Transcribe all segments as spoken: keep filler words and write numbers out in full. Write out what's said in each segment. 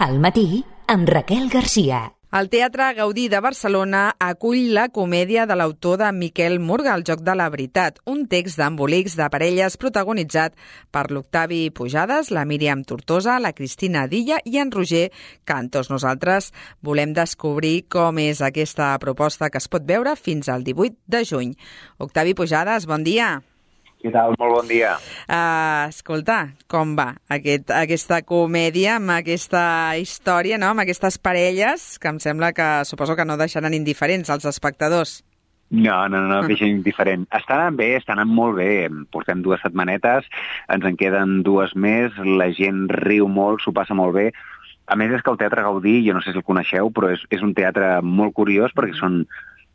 Al matí, amb Raquel Garcia. El Teatre Gaudí de Barcelona acull la comèdia de l'autor de Miquel Murga, El joc de la veritat, un text d'embolics de parelles protagonitzat per l'Octavi Pujades, la Míriam Tortosa, la Cristina Dilla i en Roger Cantos. Nosaltres volem descobrir com és aquesta proposta que es pot veure fins al divuit de juny. Octavi Pujades, bon dia. Què tal? Molt bon dia. Uh, escolta, com va aquest, aquesta comèdia amb aquesta història, no? Amb aquestes parelles que em sembla que suposo que no deixaran indiferents als espectadors. No, no, no, no deixen indiferent. Estan anant bé, estan anant molt bé. Portem dues setmanetes, ens en queden dues més, la gent riu molt, s'ho passa molt bé. A més és que el Teatre Gaudí, jo no sé si el coneixeu, però és, és un teatre molt curiós perquè són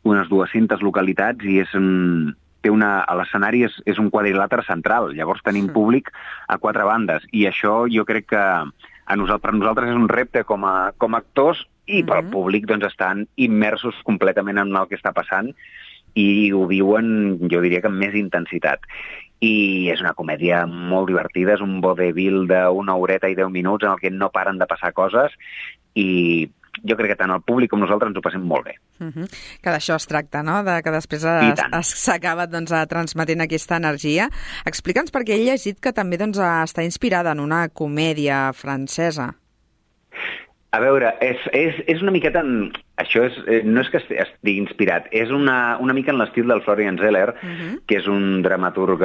unes dues-centes localitats i és un... té una, a l'escenari és, és un quadrilàter central, llavors tenim públic a quatre bandes, i això jo crec que a nosaltres, per nosaltres és un repte com a, com a actors, i pel públic doncs estan immersos completament en el que està passant i ho viuen, jo diria que amb més intensitat. I és una comèdia molt divertida, és un vodevil d'una horeta i deu minuts en el que no paren de passar coses i jo crec que tant el públic com nosaltres ens ho passem molt bé. Uh-huh. Que d'això es tracta, no? De que després s'acaba doncs, transmetent aquesta energia. Explica'ns, perquè he llegit que també doncs, està inspirada en una comèdia francesa. A veure, és, és, és una miqueta... En... Això és, no és que estigui inspirat, és una, una mica en l'estil del Florian Zeller, uh-huh. que és un dramaturg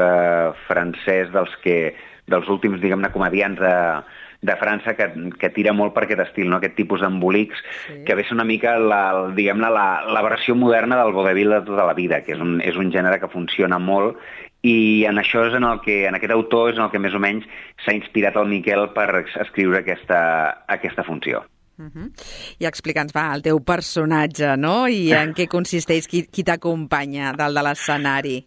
francès dels, que, dels últims, diguem-ne, comedians de... de França, que, que tira molt per aquest estil, no? Aquest tipus d'embolics, sí. que ve una mica la, diguem-ne, la, la versió moderna del vodevil de tota la vida, que és un, és un gènere que funciona molt, i en això és en el que, en aquest autor és en el que més o menys s'ha inspirat el Miquel per escriure aquesta, aquesta funció. Uh-huh. I explica'ns, va, el teu personatge, no? I en què consisteix, qui, qui t'acompanya dalt de l'escenari?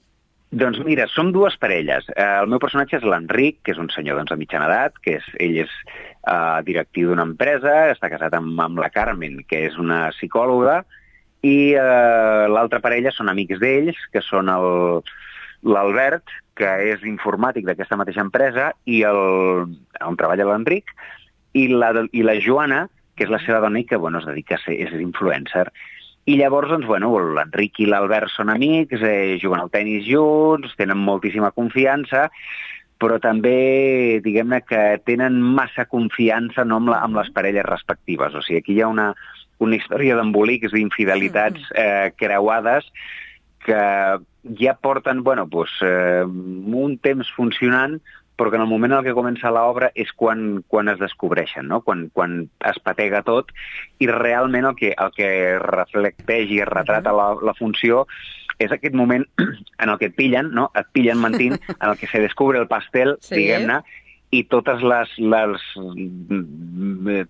Doncs mira, som dues parelles. El meu personatge és l'Enric, que és un senyor doncs, de mitjana edat, que és, ell és uh, directiu d'una empresa, està casat amb, amb la Carmen, que és una psicòloga, i uh, l'altra parella són amics d'ells, que són el, l'Albert, que és informàtic d'aquesta mateixa empresa, i el, on treballa l'Enric, i la, i la Joana, que és la seva dona i que bueno, es dedica a ser és influencer. I llavors, doncs, bueno, l'Enric i l'Albert són amics, eh, juguen al tennis junts, tenen moltíssima confiança, però també, diguem-ne, que tenen massa confiança no, amb, la, amb les parelles respectives. O sigui, aquí hi ha una, una història d'embolics, d'infidelitats eh, creuades que ja porten, bueno, doncs, eh, un temps funcionant, però que en el moment en què comença l'obra és quan, quan es descobreixen, no? quan, quan es patega tot, i realment el que, el que reflecteix i es retrata la, la funció és aquest moment en el que et pillen, no? et pillen mentint, en el que se descubre el pastel, sí. diguem-ne, i totes les, les,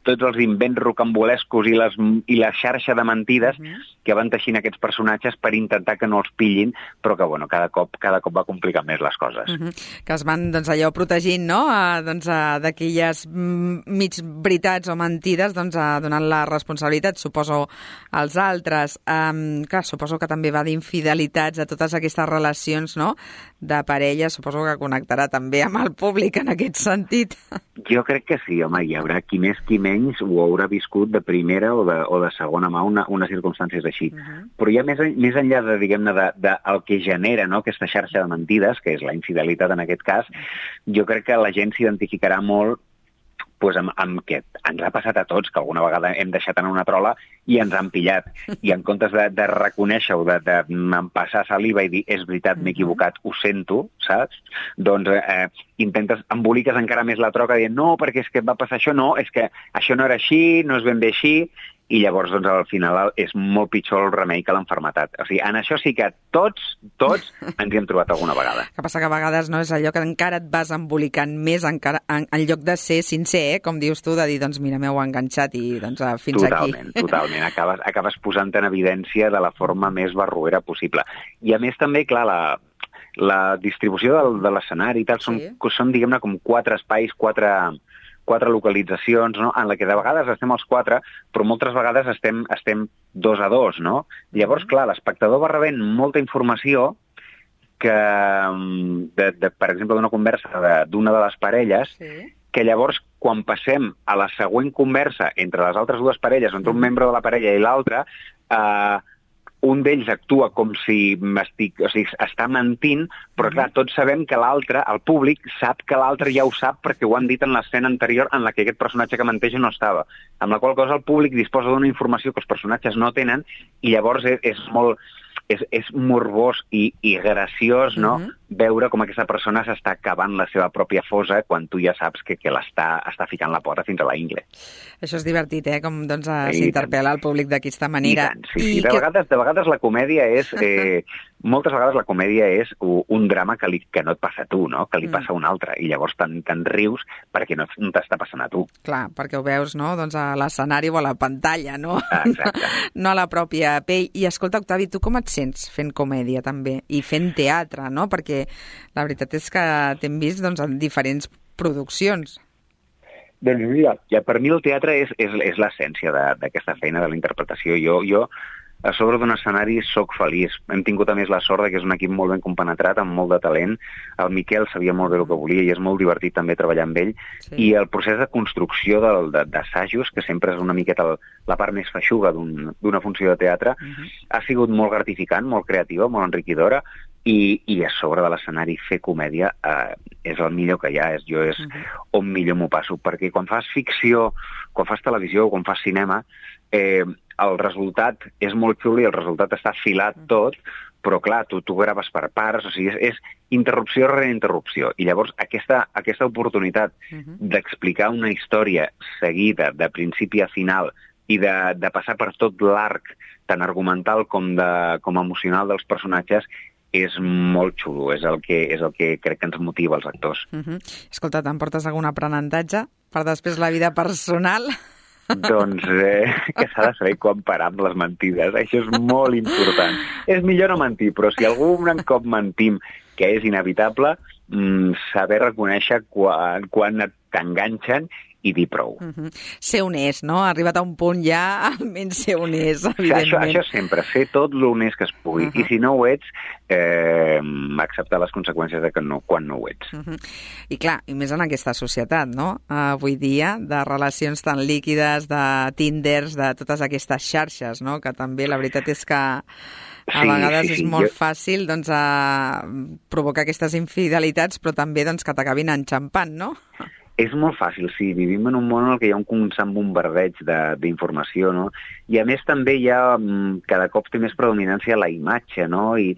tots els invents rocambolescos i, les, i la xarxa de mentides uh-huh. que van teixint aquests personatges per intentar que no els pillin, però que bueno, cada cop cada cop va complicar més les coses. Uh-huh. Que es van doncs, allò protegint no? a, doncs, a, d'aquelles mig veritats o mentides, doncs, a, donant la responsabilitat, suposo, als altres. Um, clar, suposo que també va d'infidelitats a totes aquestes relacions no? de parella, suposo que connectarà també amb el públic en aquest sentit. Jo crec que sí, home, hi haurà qui més qui menys ho haurà viscut de primera o de, o de segona mà una, unes circumstàncies així. Uh-huh. Però ja més, més enllà de, diguem-ne, de, de el que genera no, aquesta xarxa de mentides, que és la infidelitat en aquest cas, jo crec que la gent s'identificarà molt pues, amb, amb que ens ha passat a tots, que alguna vegada hem deixat anar una trola i ens han pillat. I en comptes de, de reconèixer-ho, de, de passar saliva i dir és veritat, m'he equivocat, ho sento, saps? Doncs eh, intentes, emboliques encara més la troca dient no, perquè és que va passar això, no, és que això no era així, no és ben bé així, i llavors doncs, al final és molt pitjor el remei que l'enfermetat. O sigui, en això sí que tots, tots ens hi hem trobat alguna vegada. Que passa que a vegades no és allò que encara et vas embolicant més encara, en, en lloc de ser sincer, eh? Com dius tu, de dir, doncs mira, m'heu enganxat i doncs fins totalment, aquí. Totalment, totalment. Acabes, acabes posant en evidència de la forma més barroera possible. I a més també, clar, la, la distribució del, de l'escenari i tal, són, sí. són diguem-ne, com quatre espais, quatre... quatre localitzacions, no? En la que de vegades estem els quatre, però moltes vegades estem, estem dos a dos, no? Llavors, clar, l'espectador va rebent molta informació que, de, de, per exemple, d'una conversa de, d'una de les parelles, sí. que llavors, quan passem a la següent conversa entre les altres dues parelles, entre un membre de la parella i l'altre, eh, un d'ells actua com si estic, o sigui, està mentint, però clar, tots sabem que l'altre, el públic, sap que l'altre ja ho sap perquè ho han dit en l'escena anterior en la que aquest personatge que menteix no estava. Amb la qual cosa el públic disposa d'una informació que els personatges no tenen i llavors és, és molt... És, és morbós i, i graciós, no?, uh-huh. veure com aquesta persona s'està acabant la seva pròpia fosa quan tu ja saps que, que l'està està ficant la pota fins a la ingle. Això és divertit, eh?, com doncs, s'interpel·la el públic d'aquesta manera. I tant, sí, sí. I de, que... vegades, de vegades la comèdia és... Eh, moltes vegades la comèdia és un drama que, li, que no et passa a tu, no?, que li passa a un altre, i llavors te'n te rius perquè no, no t'està passant a tu. Clar, perquè ho veus, no?, doncs a l'escenari o a la pantalla, no? Exacte. No a la pròpia pell. I escolta, Octavi, tu com et sents fent comèdia també? I fent teatre, no? Perquè la veritat és que t'hem vist doncs, en diferents produccions. Doncs mira, ja per mi el teatre és, és, és l'essència d'aquesta feina de la interpretació. Jo, jo a sobre d'un escenari soc feliç. Hem tingut a més la sort que és un equip molt ben compenetrat, amb molt de talent. El Miquel sabia molt bé el que volia i és molt divertit també treballar amb ell. Sí. I el procés de construcció d'assajos, que sempre és una miqueta la part més feixuga d'una un, funció de teatre, uh-huh. ha sigut molt gratificant, molt creativa, molt enriquidora, i, i a sobre de l'escenari fer comèdia eh, és el millor que hi ha. És, jo és uh-huh. on millor m'ho passo, perquè quan fas ficció, quan fas televisió o quan fas cinema, eh, el resultat és molt xulo i el resultat està filat tot, però clar, tu, tu graves per parts, o sigui, és, és interrupció rere interrupció. I llavors aquesta, aquesta oportunitat uh-huh. d'explicar una història seguida, de principi a final, i de, de passar per tot l'arc, tant argumental com, de, com emocional dels personatges, és molt xulo, és el que, és el que crec que ens motiva als actors. Uh-huh. Escolta, t'emportes algun aprenentatge per després la vida personal? Doncs eh, que s'ha de saber quan parar amb les mentides. Això és molt important. És millor no mentir, però si algun cop mentim, que és inevitable, mmm, saber reconèixer quan, quan t'enganxen i dir prou. Uh-huh. Ser honest, no? Ha arribat a un punt ja, almenys ser honest, evidentment. Això, això sempre, ser tot l'honest que es pugui. Uh-huh. I si no ho ets, eh, acceptar les conseqüències de que no, quan no ho ets. Uh-huh. I clar, i més en aquesta societat, no? Avui dia, de relacions tan líquides, de Tinders, de totes aquestes xarxes, no? Que també la veritat és que a sí, vegades sí, sí. és molt jo... fàcil doncs, a provocar aquestes infidelitats, però també doncs, que t'acabin enxampant, no? És molt fàcil, sí. Vivim en un món en què hi ha un constant bombardeig d'informació, no? I a més també hi ha, cada cop té més predominància la imatge, no? I,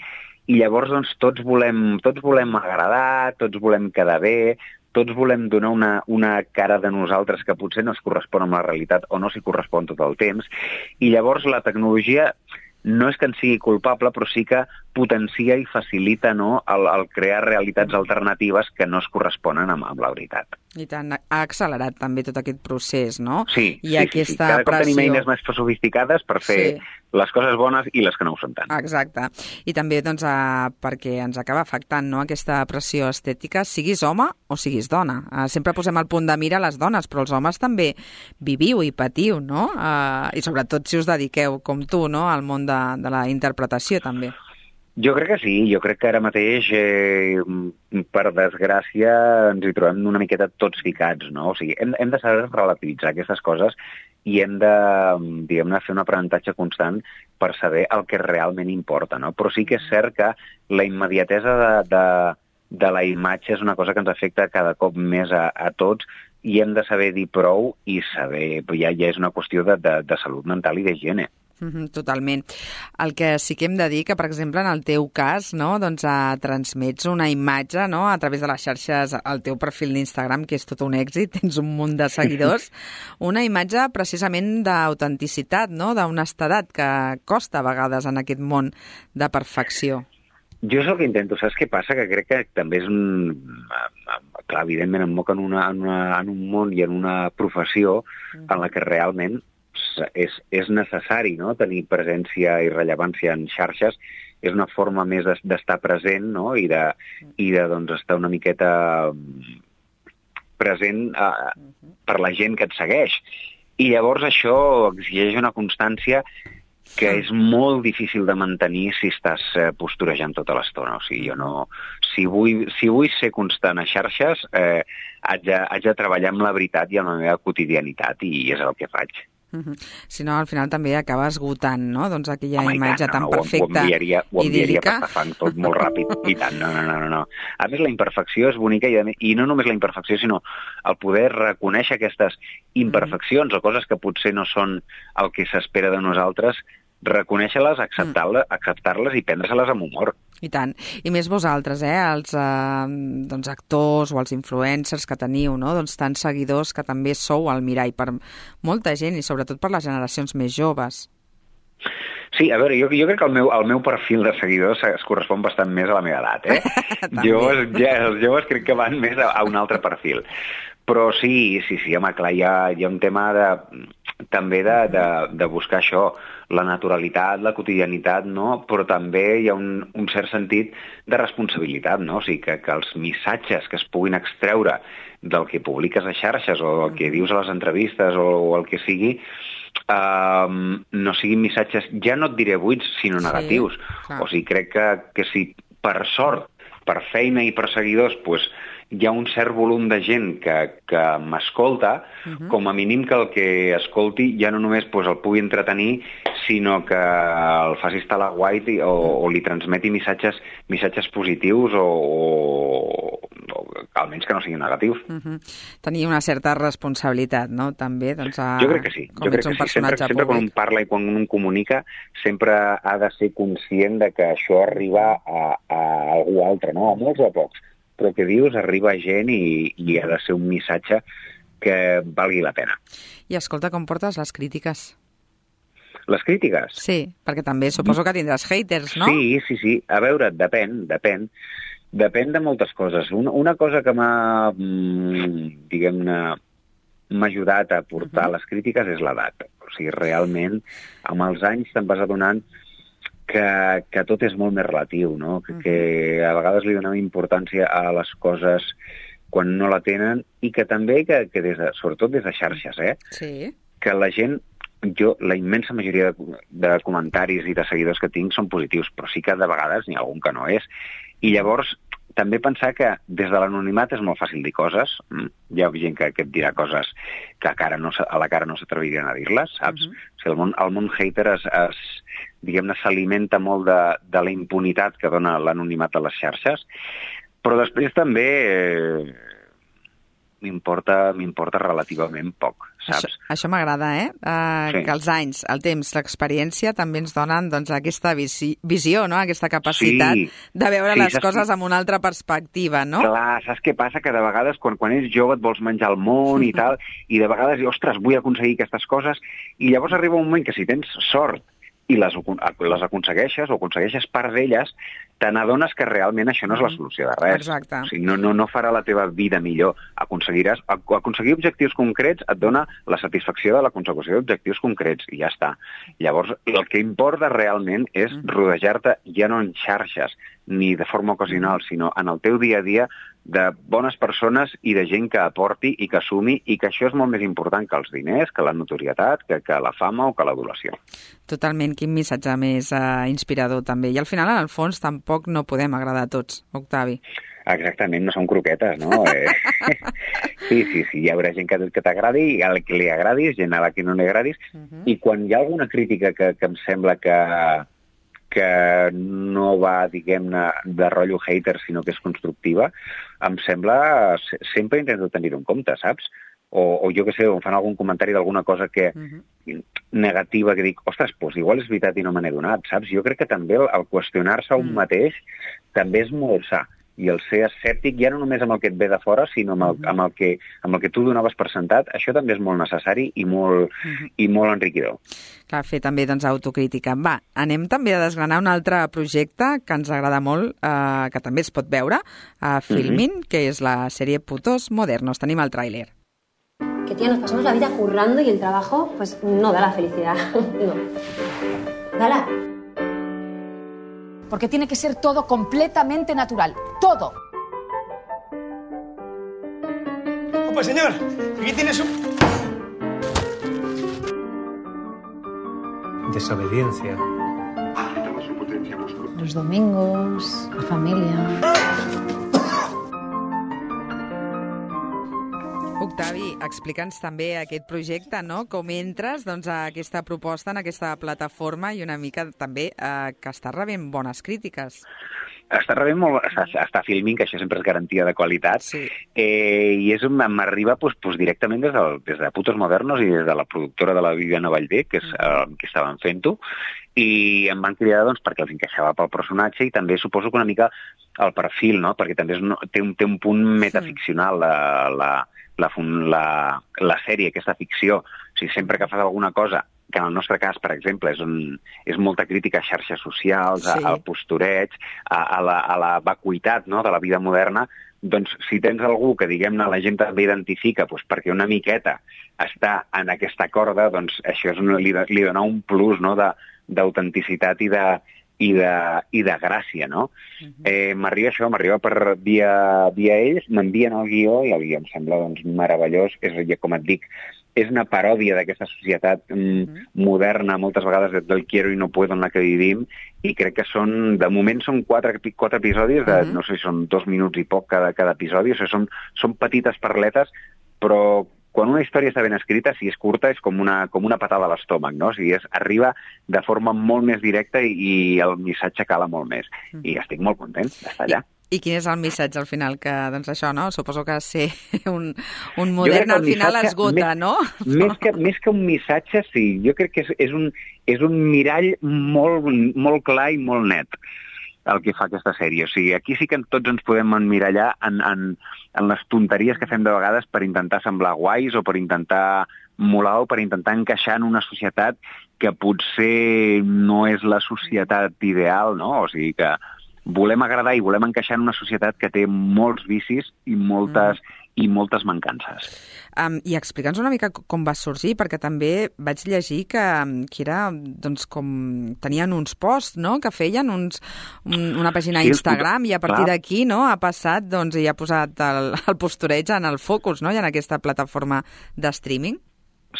i llavors doncs, tots, volem, tots volem agradar, tots volem quedar bé, tots volem donar una, una cara de nosaltres que potser no es correspon amb la realitat o no s'hi correspon tot el temps. I llavors la tecnologia no és que en sigui culpable, però sí que potencia i facilita, no, el, el crear realitats alternatives que no es corresponen amb, amb la veritat. I tant, ha accelerat també tot aquest procés, no? Sí, I sí, aquesta sí, sí. Cada cop pressió... tenim eines més sofisticades per fer sí. les coses bones i les que no ho són tant. Exacte. I també doncs, eh, perquè ens acaba afectant, no, aquesta pressió estètica, siguis home o siguis dona. Eh, sempre posem el punt de mira a les dones, però els homes també viviu i patiu, no? Eh, I sobretot si us dediqueu, com tu, no, al món de, de la interpretació també. Jo crec que sí, jo crec que ara mateix, eh, per desgràcia, ens hi trobem una miqueta tots ficats, no? O sigui, hem, hem de saber relativitzar aquestes coses i hem de, diguem-ne, fer un aprenentatge constant per saber el que realment importa, no? Però sí que és cert que la immediatesa de, de, de la imatge és una cosa que ens afecta cada cop més a, a tots i hem de saber dir prou i saber, ja, ja és una qüestió de, de, de salut mental i d'higiene. Mm-hmm, totalment. El que sí que hem de dir que, per exemple, en el teu cas, no, doncs, eh, transmets una imatge, no, a través de les xarxes, el teu perfil d'Instagram, que és tot un èxit, tens un munt de seguidors, una imatge precisament d'autenticitat, no, d'honestedat, que costa a vegades en aquest món de perfecció. Jo és el que intento, saps què passa? Que crec que també és un... Clar, evidentment em moc en, una, en, una, en un món i en una professió en la que realment és, és necessari, no?, tenir presència i rellevància en xarxes. És una forma més d'estar present, no?, i de, i de doncs, estar una miqueta present eh, per la gent que et segueix. I llavors això exigeix una constància que és molt difícil de mantenir si estàs eh, posturejant tota l'estona. O sigui, jo no... Si vull, si vull ser constant a xarxes, eh, haig, de, haig de treballar amb la veritat i amb la meva quotidianitat, i és el que faig. Uh-huh. Si no, al final també acaba esgotant, no? Doncs aquella Home, imatge tant, tan no, perfecta, ho enviaria, ho enviaria idíl·lica. per fang tot molt ràpid. I tant, no, no, no, no, no. A més, la imperfecció és bonica, i, a més, i no només la imperfecció, sinó el poder reconèixer aquestes imperfeccions mm. o coses que potser no són el que s'espera de nosaltres, reconèixer-les, acceptar-les, mm. acceptar-les i prendre-se-les amb humor. I tant. I més vosaltres, eh, els eh, doncs actors o els influencers que teniu, no? Doncs tants seguidors que també sou el mirall per molta gent i sobretot per les generacions més joves. Sí, a veure, jo, jo crec que el meu, el meu perfil de seguidors es correspon bastant més a la meva edat, eh? joves, ja, els joves crec que van més a, a un altre perfil. Però sí, sí, sí, home, clar, hi ha, hi ha un tema de, també de, de, de buscar això, la naturalitat, la quotidianitat, no? Però també hi ha un, un cert sentit de responsabilitat, no? O sigui, que, que els missatges que es puguin extreure del que publiques a xarxes o del que dius a les entrevistes o, o el que sigui, uh, no siguin missatges, ja no et diré buits, sinó negatius. Sí, o sigui, crec que, que si per sort, per feina i per seguidors, pues, hi ha un cert volum de gent que, que m'escolta, uh-huh. com a mínim que el que escolti ja no només pues, el pugui entretenir, sinó que el faci estar a la guai o, o li transmeti missatges, missatges positius o, o, o almenys que no siguin negatius. Uh-huh. Tenir una certa responsabilitat, no?, també, doncs, a... Jo crec que sí. Jo crec que sí. Sempre, sempre quan un parla i quan un comunica, sempre ha de ser conscient de que això arriba a, a algú altre, no? A molts o a pocs. Però que dius arriba a gent i, i ha de ser un missatge que valgui la pena. I escolta, com portes les crítiques? Les crítiques? Sí, perquè també suposo que tindràs haters, no? Sí, sí, sí. A veure, depèn, depèn. Depèn de moltes coses. Una, una cosa que m'ha, diguem-ne, m'ha ajudat a portar uh-huh. les crítiques és l'edat. O sigui, realment, amb els anys te'n vas adonant que, que tot és molt més relatiu, no? Que, uh-huh. que a vegades li donem importància a les coses quan no la tenen i que també, que, que des de, sobretot des de xarxes, eh? Sí. Que la gent, jo, la immensa majoria de, de comentaris i de seguidors que tinc són positius, però sí que de vegades n'hi ha algun que no és. I llavors també pensar que des de l'anonimat és molt fàcil dir coses. Hi ha gent que, que et dirà coses que a, cara no, a la cara no s'atrevirien a dir-les, saps? Uh-huh. O sigui, el món, el món hater es, es diguem-ne, s'alimenta molt de, de la impunitat que dona l'anonimat a les xarxes, però després també eh, m'importa m'importa relativament poc, saps? Això, això m'agrada, eh? Uh, sí. Que els anys, el temps, l'experiència també ens donen doncs, aquesta visi visió, no? Aquesta capacitat sí. de veure sí, les coses amb una altra perspectiva, no? Clar, saps què passa? Que de vegades quan, quan ets jove et vols menjar el món i tal, i de vegades, ostres, vull aconseguir aquestes coses, i llavors arriba un moment que si tens sort i les, les aconsegueixes o aconsegueixes part d'elles, te n'adones que realment això no és la solució de res. Exacte. O sigui, no, no, no farà la teva vida millor. Aconseguiràs, aconseguir objectius concrets et dona la satisfacció de la consecució d'objectius concrets, i ja està. Llavors, el que importa realment és rodejar-te ja no en xarxes, ni de forma ocasional, sinó en el teu dia a dia de bones persones i de gent que aporti i que assumi, i que això és molt més important que els diners, que la notorietat, que, que la fama o que l'adulació. Totalment, quin missatge més uh, inspirador també. I al final, en el fons, tampoc no podem agradar a tots, Octavi. Exactament, no són croquetes, no? eh, sí, sí, sí, hi haurà gent que, que t'agradi, i a la que li agradis, gent a la que no li agradis, uh-huh. i quan hi ha alguna crítica que, que em sembla que que no va, diguem-ne, de rotllo hater, sinó que és constructiva, em sembla, sempre intento tenir-ho en compte, saps? O, o jo que sé, em fan algun comentari d'alguna cosa que uh-huh. negativa, que dic, ostres, doncs igual és veritat i no me n'he donat, saps? Jo crec que també el, el qüestionar-se a un uh-huh. mateix també és molt sa. I el ser escèptic, ja no només amb el que et ve de fora, sinó amb el, amb el, que, amb el que tu donaves per sentat, això també és molt necessari i molt, uh-huh. i molt enriquidor. Clar, fer també doncs, autocrítica. Va, anem també a desgranar un altre projecte que ens agrada molt, eh, que també es pot veure a Filmin, uh-huh. que és la sèrie Putos Modernos. Tenim el tràiler. Que, tía, nos pasamos la vida currando y el trabajo, pues, no da la felicidad. No. Dala. Porque tiene que ser todo completamente natural. ¡Todo! ¡Opa, señor! Aquí tienes un... desobediencia. Los domingos, la familia... Octavi, explica'ns també aquest projecte, no? Com entres doncs, a aquesta proposta, en aquesta plataforma i una mica també eh, que està rebent bones crítiques. Està rebent molt, està, està Filmin, que això sempre és garantia de qualitat, sí. eh, i és un, m'arriba pues, pues, directament des, del, des de Putos Modernos i des de la productora de la Viviana Vallvé, que és eh, que estaven fent-ho, i em van cridar doncs, perquè els encaixava pel personatge i també suposo que una mica el perfil, no? Perquè també és, no, té, un, té un punt metaficcional la, la, la, la, la sèrie, aquesta ficció. O sigui, sempre que fas alguna cosa, que en el nostre cas, per exemple, és, un, és molta crítica a xarxes socials, sí. a, al postureig, a, a, la, a la vacuïtat, no?, de la vida moderna, doncs si tens algú que, diguem-ne, la gent també identifica doncs, perquè una miqueta està en aquesta corda, doncs això és una, li, li dona un plus, no?, de, d'autenticitat i de, i de, i de gràcia, no? Uh-huh. eh, m'arriba això, m'arriba per via, via ells, m'envien el guió i el guió em sembla doncs, meravellós. És, com et dic, és una paròdia d'aquesta societat mm, uh-huh. moderna, moltes vegades del quiero i no puedo en la que vivim, i crec que són, de moment són quatre, quatre episodis, de, uh-huh. no sé si són dos minuts i poc cada, cada episodi, o sigui, són, són petites parletes, però quan una història està ben escrita, si és curta, és com una, com una patada a l'estómac, no? O sigui, és, arriba de forma molt més directa i, i el missatge cala molt més. Mm. I estic molt content d'estar allà. I, I quin és el missatge al final? Que, doncs això, no? Suposo que ser un, un modern al final esgota, més, no? Més que, més que un missatge, sí. Jo crec que és, és, un, és un mirall molt, molt clar i molt net el que fa aquesta sèrie. O sigui, aquí sí que tots ens podem emmirallar en, en, en les tonteries que fem de vegades per intentar semblar guais o per intentar molar o per intentar encaixar en una societat que potser no és la societat ideal, no? O sigui que volem agradar i volem encaixar en una societat que té molts vicis i moltes, mm. i moltes mancances. Um, I explica'ns una mica com va sorgir, perquè també vaig llegir que, que era, doncs, com tenien uns posts, no?, que feien uns, un, una pàgina a Instagram, sí, i a partir d'aquí, no?, ha passat, doncs, i ha posat el, el postureig en el focus, no?, i en aquesta plataforma de streaming.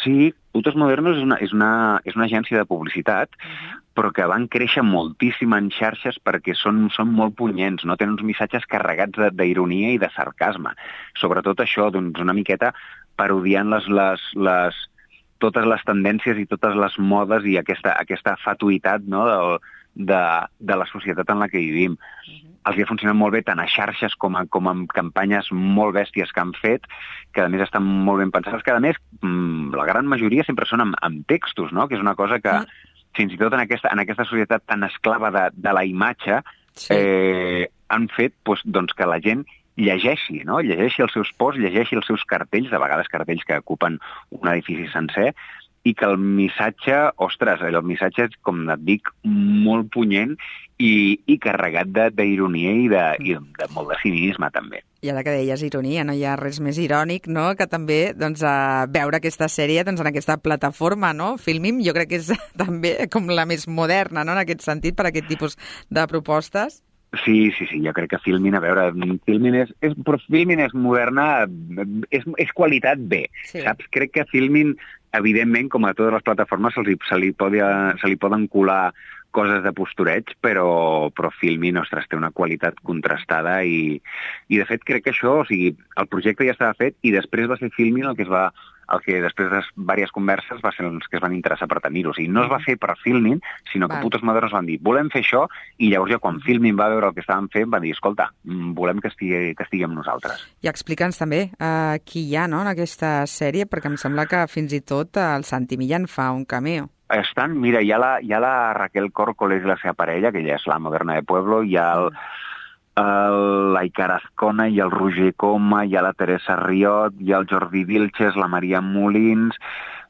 Sí, Putos Modernos és una, és una, és una agència de publicitat, uh-huh. però que van créixer moltíssim en xarxes perquè són, són molt punyents, no? Tenen uns missatges carregats d'ironia i de sarcasme. Sobretot això, doncs, una miqueta parodiant les, les, les, totes les tendències i totes les modes i aquesta, aquesta fatuïtat, no?, de, de, de la societat en la que vivim. Uh-huh. Els ha funcionat molt bé tant a xarxes com, a, com en campanyes molt bèsties que han fet, que a més estan molt ben pensades, que a més la gran majoria sempre són amb, amb textos, no?, que és una cosa que uh-huh. fins i tot en aquesta, en aquesta societat tan esclava de, de la imatge, sí. eh, han fet doncs, doncs, que la gent llegeixi, no? Llegeixi els seus posts, llegeixi els seus cartells, de vegades cartells que ocupen un edifici sencer, i que el missatge, ostres, el missatge és, com et dic, molt punyent i, i carregat d'ironia i, de, i de molt de cinisme, també. I ara que deies ironia, no hi ha res més irònic, no?, que també doncs, a veure aquesta sèrie doncs, en aquesta plataforma, no?, Filmin, jo crec que és també com la més moderna, no?, en aquest sentit, per aquest tipus de propostes. Sí, sí, sí, jo crec que Filmin, a veure, Filmin és, és, però Filmin és moderna, és, és qualitat B, sí. Saps? Crec que Filmin, evidentment, com a totes les plataformes, se li, se li, podia, se li poden colar coses de postureig, però, però Filmin, ostres, té una qualitat contrastada i, i, de fet, crec que això, o sigui, el projecte ja estava fet i després va ser Filmin el que es va... el que després de diverses converses va ser els que es van interessar per tenir-ho. O sigui, no es va fer per Filmin, sinó que Putos Modernos van dir, volem fer això, i llavors ja quan Filmin va veure el que estàvem fent, va dir, escolta, volem que estigui, que estigui amb nosaltres. I explica'ns també uh, qui hi ha, no?, en aquesta sèrie, perquè em sembla que fins i tot el Santi Millán fa un cameo. Estan, mira, hi ha la, hi ha la Raquel Córcoles i la seva parella, que ja és la Moderna de Pueblo, hi ha el... l'Aicar Azcona, hi ha el Roger Coma, hi ha la Teresa Riot, hi ha el Jordi Vilches, la Maria Molins,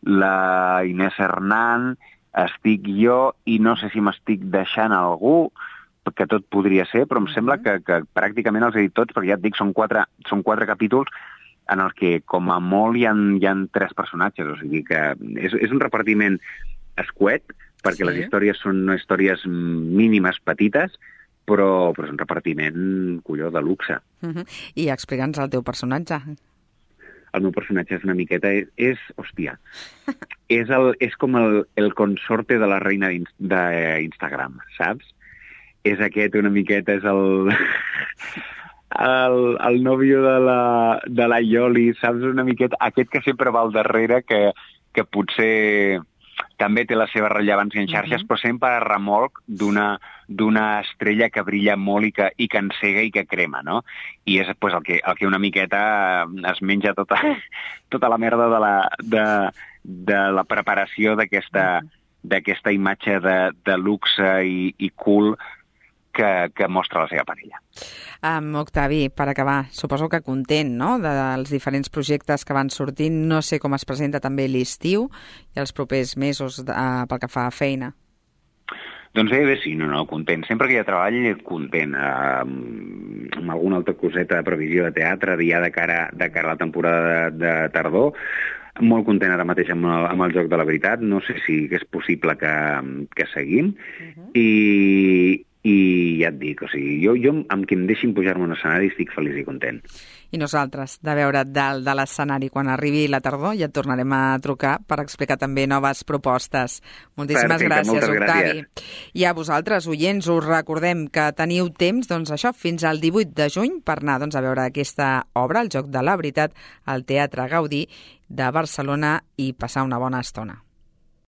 la Inés Hernán, estic jo, i no sé si m'estic deixant algú, que tot podria ser, però em sembla que, que pràcticament els he dit tots, perquè ja et dic, són quatre, són quatre capítols en els que com a molt hi ha, hi ha tres personatges, o sigui que és, és un repartiment escuet, perquè sí. Les històries són històries mínimes, petites, però, però és un repartiment, colló, de luxe. Uh-huh. I explica'ns el teu personatge. el meu personatge és una miqueta... És, és hòstia, és, el, és com el, el consorte de la reina d'Instagram, saps? És aquest una miqueta, és el... el, el nòvio de la, de la Ioli, saps? Una miqueta... Aquest que sempre va al darrere, que, que potser... també té la seva rellevància en xarxes, uh-huh. però sempre a remolc d'una d'una estrella que brilla molt i que, i que encega i que crema, no? I és pues, el, que, el que una miqueta es menja tota, tota la merda de la, de, de la preparació d'aquesta uh-huh. d'aquesta imatge de, de luxe i, i cool que, que mostra la seva parella. Um, Octavi, per acabar, suposo que content, no?, dels diferents projectes que van sortint. No sé com es presenta també l'estiu i els propers mesos uh, pel que fa a feina. Doncs bé, bé, sí, no, no, content. Sempre que hi ha treball, content. Uh, amb alguna altra coseta de previsió de teatre, ja de cara, de cara a la temporada de, de tardor. Molt content ara mateix amb el, amb el Joc de la Veritat. No sé si és possible que, que seguim. Uh-huh. I... I ja et dic, o sigui, jo, jo amb qui em deixin pujar-me a un escenari estic feliç i content. I nosaltres, de veure dalt de l'escenari quan arribi la tardor, ja et tornarem a trucar per explicar també noves propostes. Moltíssimes Perfecte, gràcies, Octavi. Gràcies. I a vosaltres, oients, us recordem que teniu temps, doncs això, fins al divuit de juny per anar doncs, a veure aquesta obra, El Joc de la Veritat, al Teatre Gaudí de Barcelona i passar una bona estona.